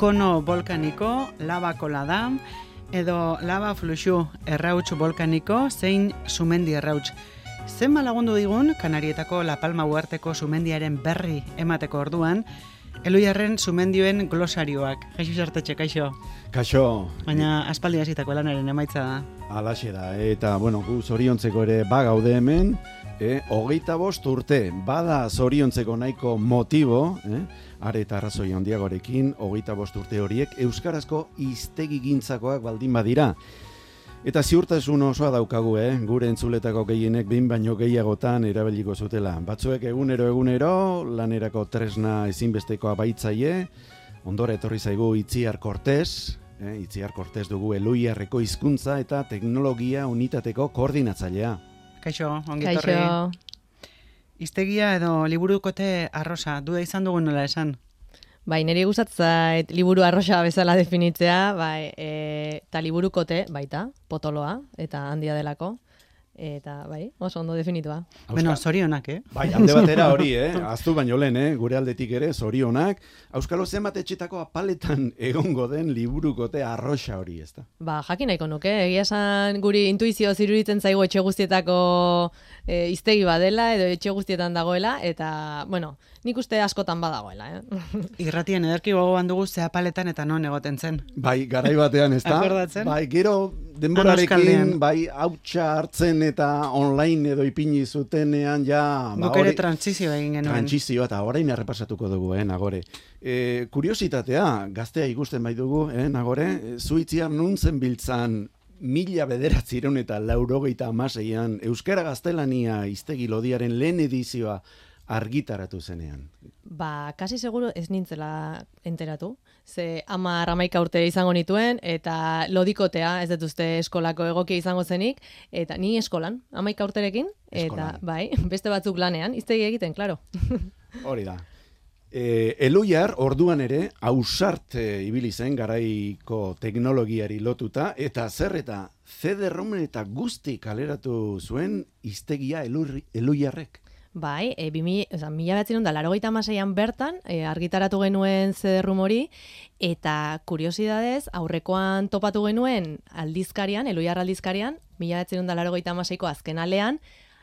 kono volkaniko, lava kolada, edo lava fluxu errauts volkaniko, zein sumendi errauts. Zenba lagundu digun, Kanarietako La Palma uharteko sumendiaren berri emateko orduan, Eluiarren sumendioen glosarioak. Jesus Artetxe, kaixo. Kaixo. Baina aspaldi hasitako lanaren emaitza da. Alaxe da, eta bueno, gu zoriontzeko ere bagaude hemen, 25 urte, bada zoriontzeko nahiko motibo, are eta arrazoi handiagorekin, 25 urte horiek euskarazko hiztegigintzakoak baldin badira. Eta ziurtasun osoa daukagu, gure entzuletako gehienek behin baino gehiagotan erabiliko zutela. Batzuek egunero lanerako tresna ezinbestekoa baitzaie, ondora etorri zaigu Itziar Cortés, Itziar Cortés dugu Eluiarreko hizkuntza eta teknologia unitateko koordinatzailea. Kaixo, ongi etorri. Kaixo. Hiztegia edo liburukote arrosa, duda izan dugun nola esan? Bai, niri gustatzen liburu arrosa bezala definitzea, bai, eta liburukote baita, potoloa, eta handia delako, eta bai, oso ondo definitua. Bueno, zorionak, Bai, alde batera hori, aztu baino lehen, gure aldetik ere, zorionak. Auskalo zenbat etxetako apaletan egongo den liburukote arrosa hori, ezta? Ba, jakin nahiko nuke, egia esan guri intuizio ziruditzen zaigu etxe guztietako hiztegi badela, edo etxe guztietan dagoela, eta, bueno, nik uste askotan badagoela, Irratien ederki gogoan dugu ze apaletan eta non egoten zen. Bai, garai batean, ezta? Akordatzen? Bai, gero denborarekin, bai, hautsa hartzen eta online edo ipini zutenean, ja... Guk ere trantzizio egin genuen. Trantzizioa, eta orain errepasatuko dugu, nagore. Kuriositatea, gaztea ikusten bai dugu, nagore, Itziar nun zen biltzan 1986an Euskara Gaztelania hiztegi lodiaren lehen edizioa argitaratu zenean. Ba, kasi seguro ez nintzela enteratu. Ze 11 urte izango nituen, eta lodikotea, ez dut uste eskolako egokia izango zenik, eta ni eskolan, 11 urterekin, eta bai, beste batzuk lanean, hiztegi egiten, klaro. Hori da. Eluiar orduan ere ausart ibili zen garaiko teknologiari lotuta, eta zer eta CD-ROM eta guzti kaleratu zuen hiztegia Eluiarrek. Bai, 1986an bertan argitaratu genuen CD-ROM hori, eta kuriosidadez, aurrekoan topatu genuen aldizkarian, Eluiar aldizkarian, 1986ko azken alean,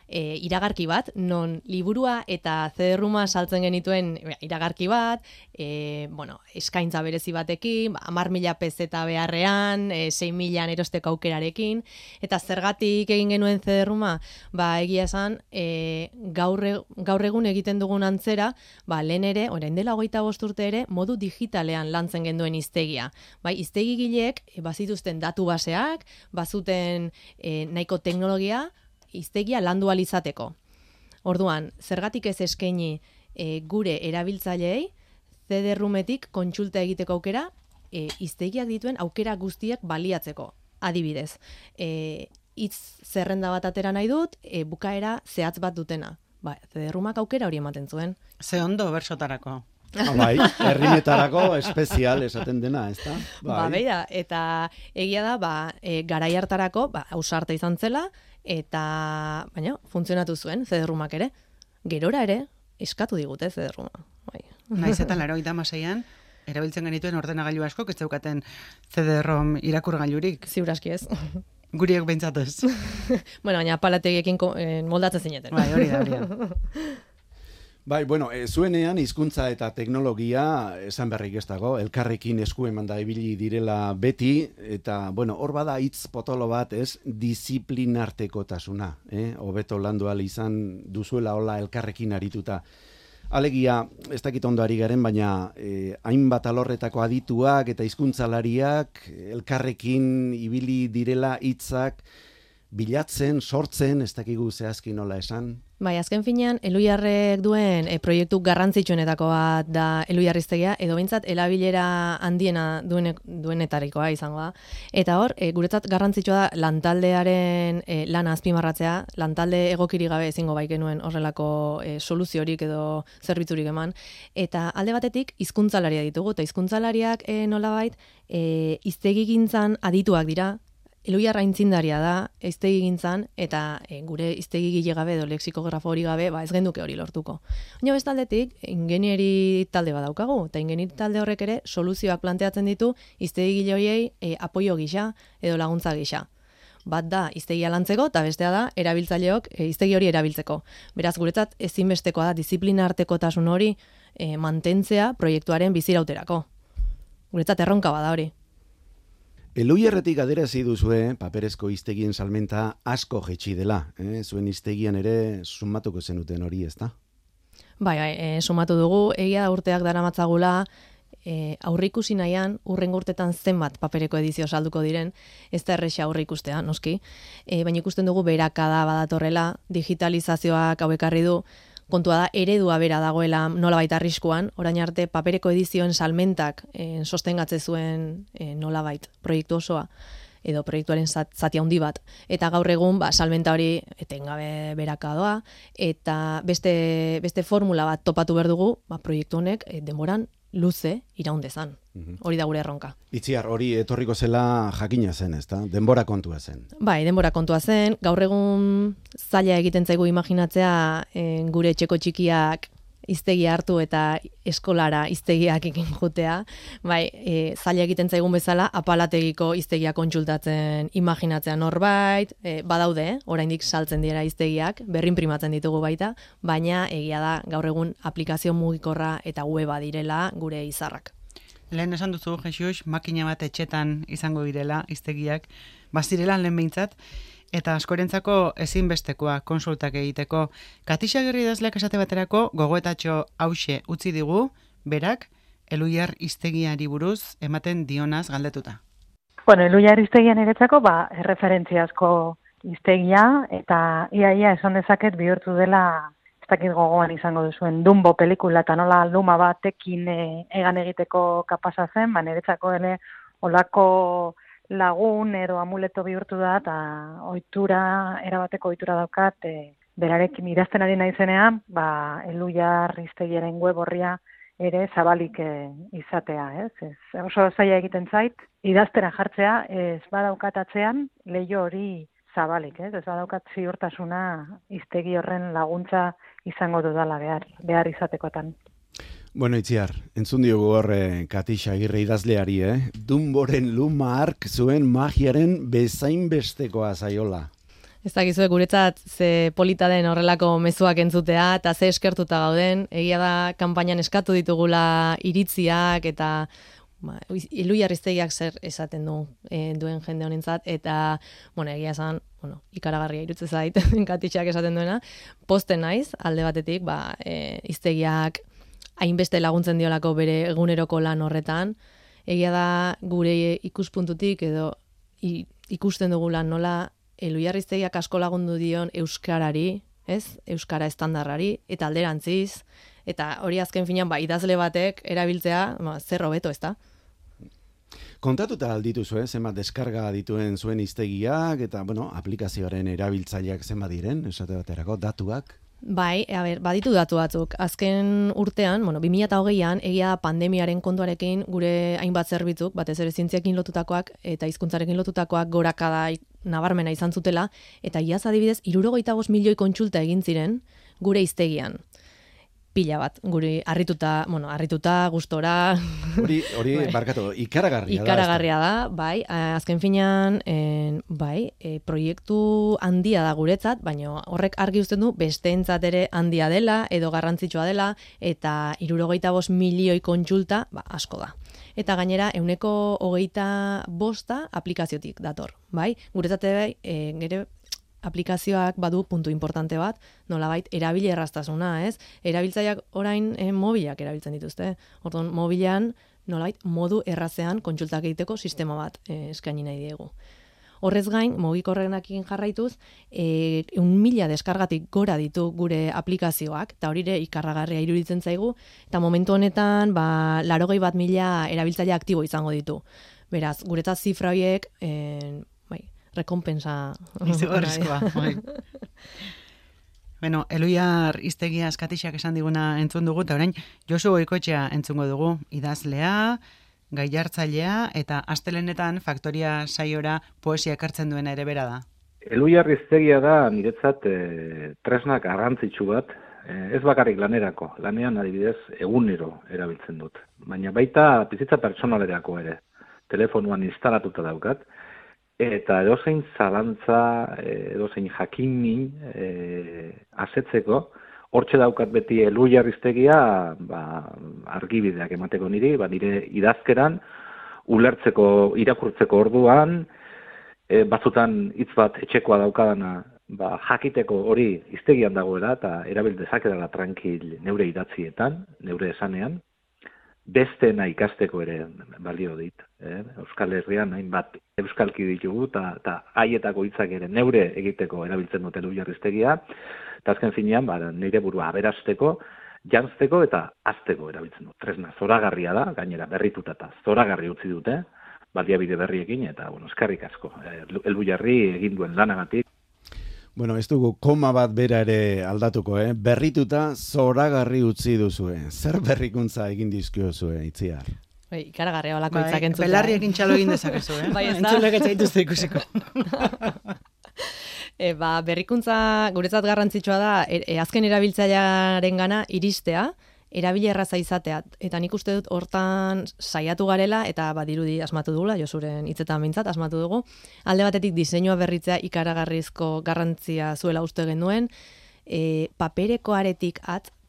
iragarki bat, non liburua eta CD-ROMa saltzen genituen iragarki bat, eskaintza berezi batekin, 10.000 pezeta beharrean, 6.000 erosteko aukerarekin, eta zergatik egin genuen CD-ROMa, egia esan, gaur egun egiten dugun antzera, lehen ere, orain dela 25 urte ere, modu digitalean lantzen genduen hiztegia. Hiztegigileek bazituzten datu baseak, bazuten nahiko teknologia, hiztegia landu ahal izateko. Orduan, zergatik ez eskaini gure erabiltzaileei CD-ROMetik kontsulta egiteko aukera, hiztegiak dituen aukera guztiak baliatzeko. Adibidez, hitz zerrenda bat atera nahi dut, bukaera zehatz bat dutena. CD-ROMak aukera hori ematen zuen. Ze ondo bersotarako. Bai, herrimetarako espezial esaten dena, ezta? Beira, eta egia da, garai hartarako, ausarta izan zela, eta, baina, funtzionatu zuen CD-ROMak ere. Gerora ere, eskatu digute CD-ROMa. Naiz eta 86an, erabiltzen genituen ordenagailu asko, ez zeukaten CD-ROM irakurgailurik. Ziur aski ez. Guriek behintzat ez. Bueno, baina apalategiekin moldatzen zineten. Bai, hori da. Bai, bueno, zuenean hizkuntza eta teknologia esan berrik ez dago, elkarrekin esku emanda ibili direla beti, eta, bueno, hor bada hitz potolo bat, disiplinartekotasuna, hobeto landu ahal izan duzuela hola elkarrekin arituta. Alegia, ez dakit ondo ari garen, baina hainbat alorretako adituak eta hizkuntzalariak elkarrekin ibili direla hitzak bilatzen, sortzen, ez dakigu zehazki nola esan. Bai, azken finean, Eluiarrek duen proiektu garrantzitsuenetako bat da Eluiar hiztegia, edo behintzat erabilera handiena duenetarikoa izango da. Eta hor, guretzat garrantzitsua da lantaldearen lana azpimarratzea, lantalde egokiri gabe ezingo bai genuen horrelako soluziorik edo zerbitzurik eman. Eta alde batetik, hizkuntzalaria ditugu, eta hizkuntzalariak nolabait hiztegigintzan adituak dira, Eluiarra aitzindaria da hiztegi gintzan eta gure hiztegi gile gabe edo lexikografo hori gabe ez genduke hori lortuko. Baina bestaldetik ingenieri talde bat daukagu eta ingenieri talde horrek ere soluzioak planteatzen ditu hiztegi gile horiei apoio gisa edo laguntza gisa. Bat da hiztegia lantzeko eta bestea da erabiltzaileok hiztegi hori erabiltzeko. Beraz guretzat ezinbestekoa da diziplina artekotasun hori mantentzea proiektuaren bizirauterako. Guretzat erronka bada hori. Eluiarretik aderazi duzue paperezko hiztegien salmenta asko jetxi dela. Zuen hiztegian ere sumatuko zenuten hori, ezta? Bai, sumatu dugu, egia da urteak daramatzagula, aurreikusi nahian, urrengo urtetan zenbat papereko edizio salduko diren, ez da erresa aurreikustea, noski. Baina ikusten dugu berakada badatorrela, digitalizazioak hau ekarri du, kontua da, eredua bera dagoela nolabait arriskuan, orain arte papereko edizioen salmentak sostengatze zuen nolabait proiektu osoa, edo proiektuaren zati handi bat. Eta gaur egun, salmenta hori etengabe berakadoa, eta beste formula bat topatu behar dugu, proiektu honek denboran luze iraundezan. Hori da gure erronka. Itziar, hori etorriko zela jakina zen, ezta? Denbora kontua zen. Bai, denbora kontua zen. Gaur egun zaila egiten zaigu imaginatzea gure etxeko txikiak hiztegia hartu eta eskolara hiztegiak ekin jutea. Bai, zaila egiten zaigun bezala apalategiko hiztegia kontsultatzen imaginatzea norbait, badaude, oraindik saltzen dira hiztegiak, berrinprimatzen ditugu baita, baina egia da gaur egun aplikazio mugikorra eta weba direla gure izarrak. Lehen esan duzu, Jesus, makina bat etxetan izango direla hiztegiak, bazirela lehen behintzat, eta askorentzako ezinbestekoa konsultak egiteko. Katixagirri idazleak esate baterako gogoetatxo hause utzi digu, berak, Eluiar hiztegiari buruz ematen dionaz galdetuta. Bueno, Eluiar hiztegian eretzako, erreferentziazko hiztegia, eta iaia esan dezaket bihurtu dela, ez dakit gogoan izango duzuen, Dumbo pelikula, eta nola luma batekin egan egiteko kapasa zen, niretzako ere olako lagun edo amuleto bihurtu da, eta erabateko ohitura daukat, berarekin idazten ari naizenean, Eluiar hiztegiaren web orria ere zabalik izatea, ez? Oso zaila egiten zait, idaztera jartzea, ez badaukat atzean leiho hori zabalik, ez badaukat ziurtasuna hiztegi horren laguntza izango dudala behar izatekotan. Bueno, Itziar, entzun diogu horre Katixagirre idazleari, Dumboren luma ark zuen magiaren bezainbestekoa zaiola. Ez dakizuek guretzat ze polita den horrelako mezuak entzutea eta ze eskertuta gauden, egia da kanpainan eskatu ditugula iritziak eta Eluiar hiztegiak zer esaten duen jende honentzat eta egia esan, ikaragarria iruditzen zait Katixak esaten duena, posten naiz alde batetik, hiztegiak hainbeste laguntzen diolako bere eguneroko lan horretan, egia da gure ikuspuntutik edo ikusten dugu lan nola Eluiar hiztegiak asko lagundu dion euskarari, ez? Euskara estandarrari eta alderantziz, eta hori azken finean idazle batek erabiltzea, zer hobeto, ezta? Kontatuta aldituzu, zenbat deskarga dituen zuen hiztegiak eta aplikazioaren erabiltzaileak zenbat diren, esate baterako datuak? Bai, baditu datu batzuk. Azken urtean, 2020an, egia pandemiaren kontuarekin gure hainbat zerbitzuk, batez ere zientziakin lotutakoak eta hizkuntzarekin lotutakoak gorakada nabarmena izan zutela, eta iaz adibidez 65 milioi kontsulta egin ziren gure hiztegian. Pila bat, guri harrituta, gustora. Hori barkatu, ikaragarria da. Ikaragarria da, bai, azken finean, proiektu handia da guretzat, baina horrek argi uzten du besteentzat ere handia dela, edo garrantzitsua dela, eta 65 milioi kontsulta, asko da. Eta gainera, 25% aplikaziotik dator, bai? Guretzat gero aplikazioak badu puntu importante bat, nolabait erabili erraztasuna, ez? Erabiltzaileak orain mobilak erabiltzen dituzte. Orduan, mobilan nolabait modu errazean kontsultak egiteko sistema bat eskaini nahi diegu. Horrez gain, mugikorrenakin jarraituz, 1.000 deskargatik gora ditu gure aplikazioak, eta hori ere ikarragarria iruditzen zaigu, eta momentu honetan 81.000 erabiltzaile aktibo izango ditu. Beraz, guretzat zifra horiek, rekompensa. Izugarrizkoa. Eluiar hiztegia Katixak esan diguna entzun dugu, eta orain Josu Goikoetxea entzungo dugu, idazlea, gaiartzailea eta astelenetan Faktoria saiora poesia ekartzen duena ere bera da. Elhuyar hiztegia da niretzat tresna garrantzitsu bat, ez bakarrik lanerako, lanean adibidez egunero erabiltzen dut, baina baita bizitza pertsonalerako ere, telefonuan instalatuta daukat, eta edozein zalantza, edozein jakinin asetzeko, hortxe daukat beti Elhuyar hiztegia argibideak emateko niri, nire idazkeran, ulertzeko, irakurtzeko orduan, batzutan hitz bat etxekoa daukadana, jakiteko hori hiztegian dagoela eta erabil dezakedala tranquil neure idatzietan, neure esanean, besteena ikasteko ere balio dit. Euskal Herrian hainbat euskalki ditugu eta haietako hitzak ere neure egiteko erabiltzen dut Elhuyar hiztegia, eta azken finean nire burua aberasteko, janzteko eta hazteko erabiltzen dut. Tresna zoragarria da, gainera berrituta eta zoragarri utzi dute, baliabide berriekin, eta, eskarrik asko. Elhuyarri egin duen lanagatik. Bueno, ez dugu koma bat bera ere aldatuko, berrituta zoragarri utzi duzue. Zer berrikuntza egin dizkiozue, Itziar? Ikaragarria olako hitzak entzutea. Belarriekin txalo egin dezakezu, Entzulek etxaituzte ikusiko. Berrikuntza guretzat garrantzitsua da, azken erabiltzailearen gana iristea, erabile erraza izatea, eta nik uste dut hortan saiatu garela, eta badirudi asmatu dugula, Josuren hitzetan behintzat asmatu dugu, alde batetik diseinua berritzea ikaragarrizko garrantzia zuela uste genuen, paperekoaretik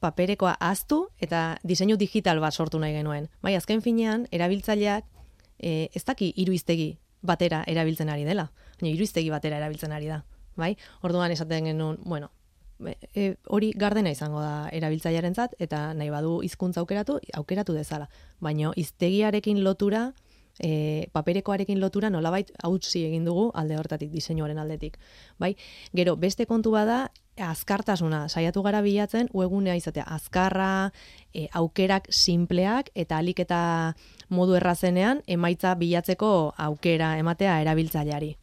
paperekoa ahaztu, eta diseinu digital bat sortu nahi genuen. Bai, azken finean, erabiltzaileak ez daki hiru hiztegi batera erabiltzen ari dela, baina hiru hiztegi batera erabiltzen ari da. Bai, orduan esaten genuen, hori gardena izango da erabiltzailearentzat eta nahi badu hizkuntza aukeratu dezala. Baina hiztegiarekin lotura, paperekoarekin lotura nolabait hautsi egin dugu alde hortatik, diseinuaren aldetik. Bai, gero beste kontu bada azkartasuna, saiatu gara bilatzen webgunea izatea azkarra, aukerak sinpleak eta alik eta modu errazenean emaitza bilatzeko aukera ematea erabiltzaileari.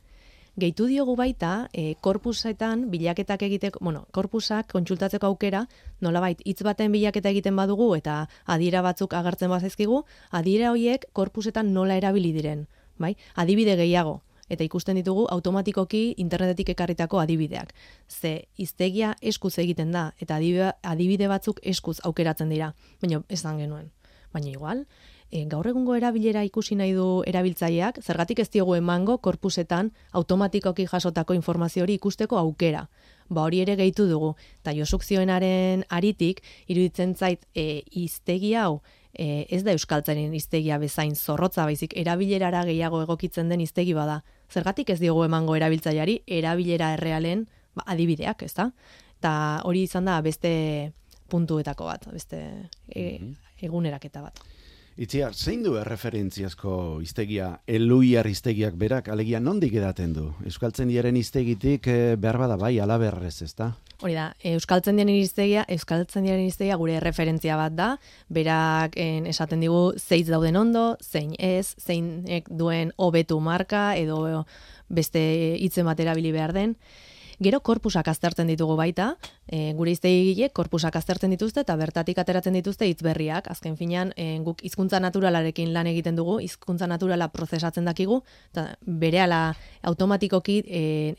Gehitu diogu baita, korpusetan bilaketak egiteko, korpusak kontsultatzeko aukera, nolabait hitz baten bilaketa egiten badugu eta adiera batzuk agertzen bazaizkigu, adiera horiek korpusetan nola erabili diren, bai? Adibide gehiago, eta ikusten ditugu automatikoki internetetik ekarritako adibideak. Ze hiztegia eskuz egiten da, eta adibide batzuk eskuz aukeratzen dira, baina esan genuen. Baina igual, gaur egungo erabilera ikusi nahi du erabiltzaileak, zergatik ez diogu emango korpusetan automatikoki jasotako informazio hori ikusteko aukera. Hori ere gehitu dugu. Eta Josuk zioenaren aritik, iruditzen zait hiztegi hau ez da euskaltzaren hiztegia bezain zorrotza, baizik erabilerara gehiago egokitzen den hiztegi bada. Zergatik ez diogu emango erabiltzaileari erabilera errealen adibideak, ez da? Eta hori izan da beste puntuetako bat, beste eguneraketa bat. Itziar, zein du erreferentziazko hiztegia Elhuyar hiztegiak berak, alegia nondik edaten du? Euskaltzaindiaren hiztegitik behar bada bai alaberrez, ezta? Hori da, Euskaltzaindiaren hiztegia gure referentzia bat da, berak esaten digu zeiz dauden ondo, zein ez, zeinek duen hobetu marka edo beste hitzen bat erabili behar den. Gero korpusak aztertzen ditugu baita, gure hiztegiek korpusak aztertzen dituzte eta bertatik ateratzen dituzte hitz berriak. Azken finean, guk hizkuntza naturalarekin lan egiten dugu, hizkuntza naturala prozesatzen dakigu, eta berehala automatikoki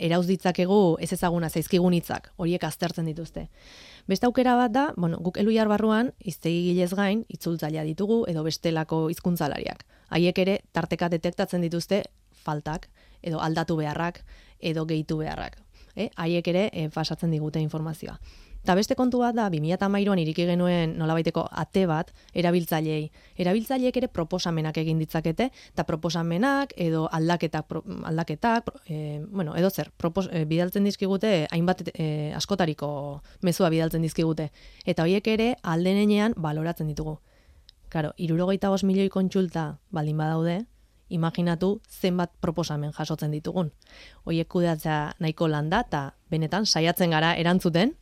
erauz ditzakegu ez ezaguna zaizkigun hitzak, horiek aztertzen dituzte. Beste aukera bat da, guk Elhuyar barruan hiztegigilez gain itzultzailea ditugu edo bestelako hizkuntzalariak. Haiek ere tarteka detektatzen dituzte faltak edo aldatu beharrak edo gehitu beharrak. Haiek ere pasatzen digute informazioa. Eta beste kontu bat da, 2013an iriki genuen nolabaiteko ate bat erabiltzaileei. Erabiltzaileek ere proposamenak egin ditzakete, eta proposamenak edo aldaketak, edo zer, bidaltzen dizkigute, hainbat askotariko mezua bidaltzen dizkigute. Eta horiek ere aldenean baloratzen ditugu. Claro, 65 milioi kontsulta baldin badaude, imaginatu zenbat proposamen jasotzen ditugun. Hoiek kudeatzea nahiko landa eta benetan saiatzen gara erantzuten.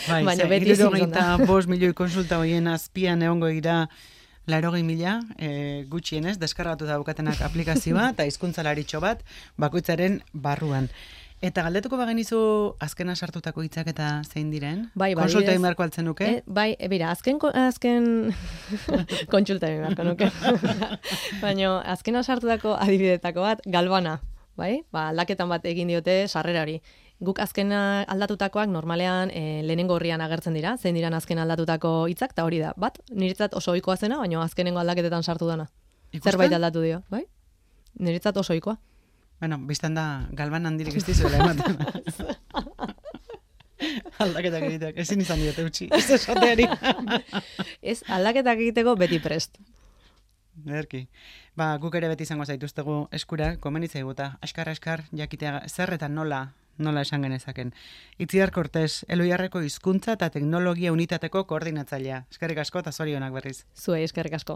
Baina beti 65 milioi konsulta hoien azpian egongo dira 80.000 gutxienez deskargatu daukatenak aplikazioa eta hizkuntzalaritxo bat bakoitzaren barruan. Eta galdetuko bagenizu azkena sartutako hitzak eta zein diren? Bai, Konsulta egin beharko altzen nuke? Bai, bera, azken kontsulta egin beharko nuke. Baina, azkena sartutako adibidetako bat, galbana, bai? Aldaketan bat egin diote sarrerari. Guk azkena aldatutakoak normalean lehenengo horrian agertzen dira, zein diran azken aldatutako hitzak, eta hori da, bat, niretzat oso ohikoa zena, baina azkenengo aldaketetan sartu dana. Ikusten? Zerbait aldatu dio, bai? Niretzat oso ohikoa. Bueno, biztan da, galban handirik ez dizuela ematen. Aldaketak egiteak, ezin izan diote utzi, ez esateari. Ez, aldaketak egiteko beti prest. Ederki. Guk ere beti izango zaituztegu eskura, komenitzai guta, askar jakitea zer eta nola esan genezaken. Itziar Cortés, Eloiarreko hizkuntza eta teknologia unitateko koordinatzailea. Eskerrik asko eta zorionak berriz. Zuei, eskerrik asko.